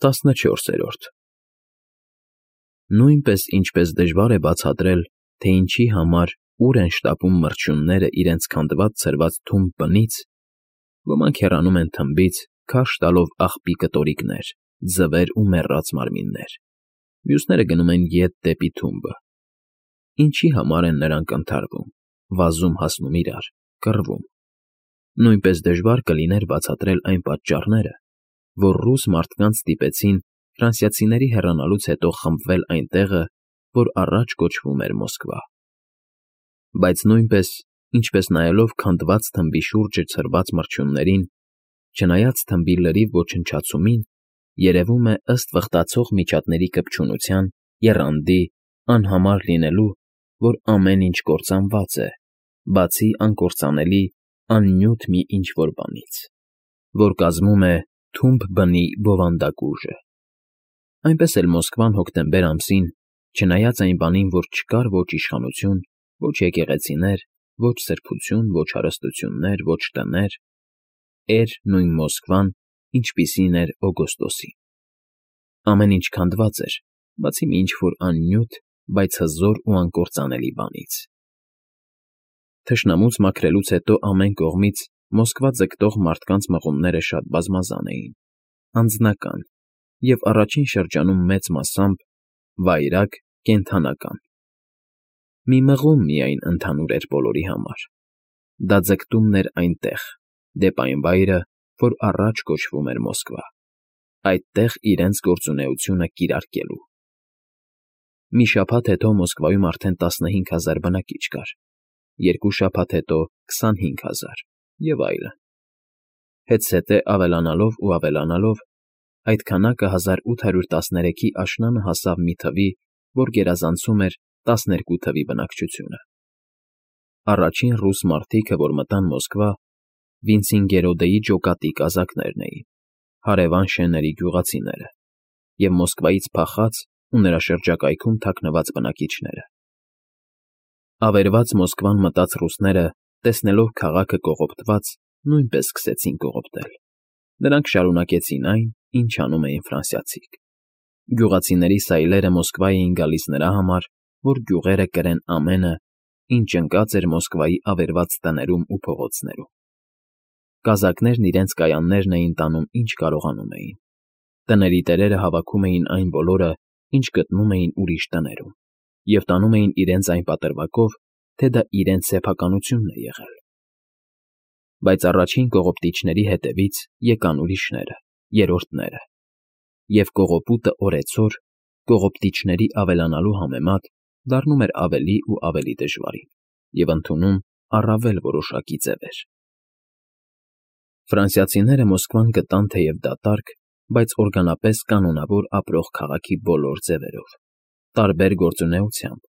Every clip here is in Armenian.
14. Նույնպես ինչպես դժվար է բացատրել, թե ինչի համար ուր են շտապում մրջյունները իրենց քանդված ցրված թումբ բնից, ոմանք հեռանում են թմբից, քարշ տալով աղբի կտորիկներ, ձվեր ու մեռած մարմիններ, մյուսները գնում են ետ դեպի թումբը. ինչի համար են նրանք ընդհարվում, վազում հասնում իրար, կռվում. նույնպես դժվար կլիներ բացատրել այն պատճառները, որ ռուս մարդկանց ստիպեցին ֆրանսիացիների հեռանալուց հետո խմբվել այն տեղը, որ առաջ կոչվում էր Մոսկվա. բայց նույնպես, ինչպես նայելով քանդված թմբի շուրջը ցրված մրջյուններին, չնայած թմբի լրիվ ոչնչացումին, երևում է ըստ վխտացող միջատների կպչունության, եռանդի, անհամար լինելու, որ ամեն ինչ կործանված է, բացի անկործանելի, աննյութ մի ինչ֊որ բանից, որ կազմում է թումբ բնի բովանդակ ուժը. այնպես էլ Մոսկվան հոկտեմբեր ամսին, չնայած այն բանին, որ չկար ոչ իշխանություն, ոչ եկեղեցիներ, ոչ սրբություն, ոչ հարստություններ, ոչ տներ, էր նույն Մոսկվան, ինչպիսին էր օգոստոսին. ամեն ինչ քանդված էր, բացի մի ինչ֊որ աննյութ, բայց հզոր ու անկործանելի բանից. Թշնամուց մաքրելուց հետո ամեն կողմից Մոսկվա ձգտող մարդկանց մղումները շատ բազմազան էին, անձնական և առաջին շրջանում մեծ մասամբ վայրագ, կենդանական. մի մղում միայն ընդհանուր էր բոլորի համար. դա ձգտումն էր այնտեղ, դեպ այն վայրը, որ առաջ կոչվում էր Մոսկվա, այդտեղ իրենց գործունեությունը կիրարկելու. Մի շաբաթ հետո Մոսկվայում արդեն 15,000 բնակիչ կար, երկու շաբաթ հետո 25,000 և այլն. հետզհետե ավելանալով ու ավելանալով, այդ քանակը 1813-ի աշնանը հասավ մի թվի, որ գերազանցում էր 12 թվի բնակչությունը. առաջին ռուս մարդիկը, որ մտան Մոսկվա, Վինցինգերոդեի ջոկատի կազակներն էին, հարևան շենների գյուղացիները և Մոսկվայից փախած ու նրա շրջակայքում թաքնված բնակիչները. ավերված Մոսկվան մտած ռուսները, տեսնելով քաղաքը կողոպտված, նույնպես սկսեցին կողոպտել. նրանք շարունակեցին այն, ինչ անում էին ֆրանսիացիք. գյուղացիների սայլերը Մոսկվա էին գալիս նրա համար, որ գյուղերը կրեն ամենը, ինչ ընկած էր Մոսկվայի ավերված տներում ու փողոցներում. Կազակներն իրենց կայաններն էին տանում, ինչ կարողանում էին. տների տերերը հավաքում էին այն բոլորը, ինչ գտնում էին ուրիշ տներում, և տանում էին իրենց այն պատրվակով, թե դա իրենց սեփականությունն է եղել. Բայց առաջին կողոպտիչների հետևից եկան ուրիշները, երրորդները, և կողոպուտը օրեցօր, կողոպտիչների ավելանալու համեմատ, դառնում էր ավելի ու ավելի դժվարին և ընդունում առավել որոշակի ձևեր. Ֆրանսիացիները Մոսկվան գտան թեև դատարկ, բայց օրգանապես կանոնավոր ապրող քաղաքի բոլոր ձևերով, տարբեր գործունեությամբ,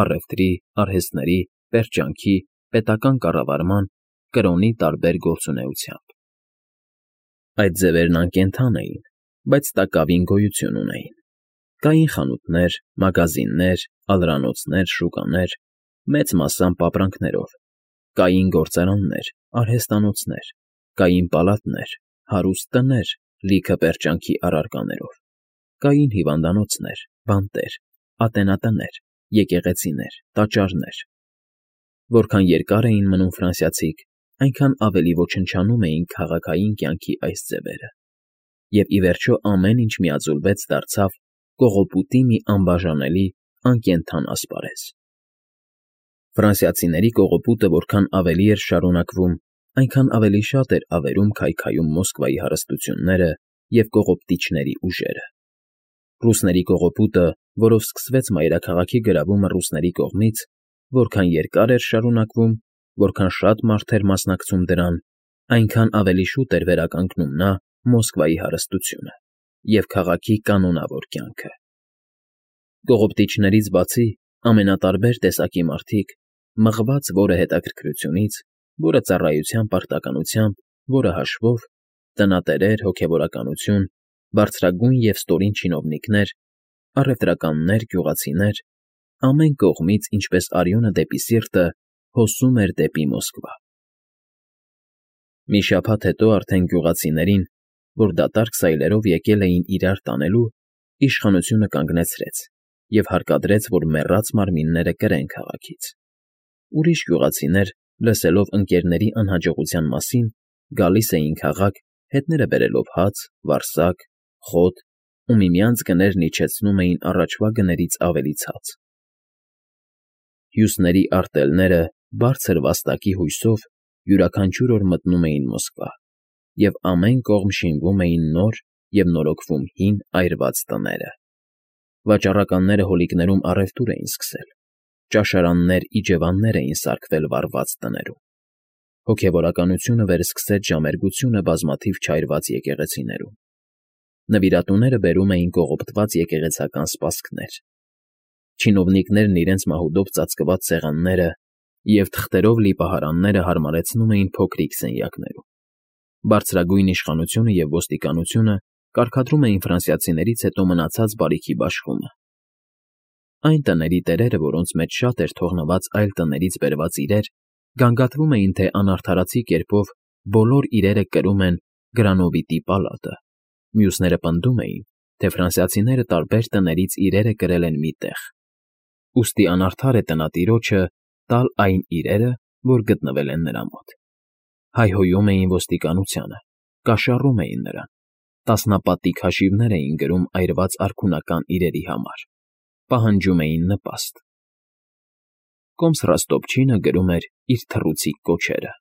առևտրի, արհեստների, պերճանքի, պետական կառավարման, կրոնի տարբեր գործունեությամբ. այդ ձևերն անկենդան էին, բայց տակավին գոյություն ունեին. կային խանութներ, մագազիններ, ալրանոցներ, շուկաներ, մեծ մասամբ ապրանքներով, կային գործարաններ, արհեստանոցներ, կային պալատներ, հարուստ տներ, լիքը պերճանքի առարկաներով, կային հիվանդանոցներ, բանտեր, ատենատներ, եկեղեցիներ, տաճարներ. որքան երկար էին մնում ֆրանսիացիք, այնքան ավելի ոչնչանում էին քաղաքային կյանքի այս ձևերը, և ի վերջո ամեն ինչ միաձուլվեց դարձավ կողոպուտի մի անբաժանելի, անկենդան ասպարեզ. Ֆրանսիացիների կողոպուտը որքան ավելի էր շարունակվում, այնքան ավելի շատ էր ավերում քայքայում Մոսկվայի հարստությունները և կողոպտիչների ուժերը. ռուսների կողոպուտը, որով սկսվեց մայրաքաղաքի գրավումը ռուսների կողմից, որքան երկար էր շարունակվում, որքան շատ մարդ էր մասնակցում դրան, այնքան ավելի շուտ էր վերականգնում նա Մոսկվայի հարստությունը և քաղաքի կանոնավոր կյանքը. Կողոպտիչներից բացի, ամենատարբեր տեսակի մարդիկ, մղված որը հետաքրքրությունից, որը ծառայության պարտականությամբ, որը հաշվով, տնատերեր, հոգևորականություն, բարձրագույն և ստորին չինովնիկներ, առևտրականներ, գյուղացիներ, ամեն կողմից, ինչպես արյունը դեպի սիրտը, հոսում էր դեպի Մոսկվա. Մի շաբաթ հետո արդեն գյուղացիներին, որ դատարկ սայլերով եկել էին իրար տանելու, իշխանությունը կանգնեցրեց և հարկադրեց, որ մեռած մարմինները կրեն քաղաքից։ Ուրիշ գյուղացիներ, լսելով ընկերների անհաջողության մասին, գալիս էին քաղաք, հետները բերելով հաց, վարսակ, խոտ ու միմյանց գներն իջեցնում էին առաջվա գներից ավելի ցած։ Հյուսների արտելները բարձր վաստակի հույսով յուրաքանչյուր օր մտնում էին Մոսկվա, և ամեն կողմ շինվում էին նոր և նորոգվում հին այրված տները։ Վաճառականները հոլիկներում առևտուր էին սկսել, ճաշարաններ, իջևաններ էին սարքվել վառված տներում։ Հոգևորականությունը վերսկսեց ժամերգությունը բազմաթիվ չայրված եկեղեցիներում։ Նվիրատուները բերում էին կողոպտված եկեղեցական սպասքներ։ Չինովնիկներն իրենց մահուդով ծածկված սեղանները և թղթերով լի պահարանները հարմարեցնում էին փոքրիկ սենյակներում։ Բարձրագույն իշխանությունը և ոստիկանությունը կարգադրում էին ֆրանսիացիներից հետո մնացած բարիքի բաշխումը։ Այն տների տերերը, որոնց մեջ շատ էր թողնված այլ տներից բերված իրեր, գանգատվում էին, թե անարդարացի կերպով բոլոր իրերը կրում են Գրանովիտի պալատը, մյուսները պնդում էին, թե ֆրանսիացիները տարբեր տներից իրերը կրել են մի տեղ, ուստի անարդար է տնատիրոջը տալ այն իրերը, որ գտնվել են նրա մոտ։ Հայհոյում էին ոստիկանությանը, կաշառում էին նրան, տասնապատիկ հաշիվներ էին գրում այրված արքունական իրերի համար, պահանջում էին նպաստ։ Կոմս Ռոստոպչինը գրում էր իր թռուցիկ կոչերը։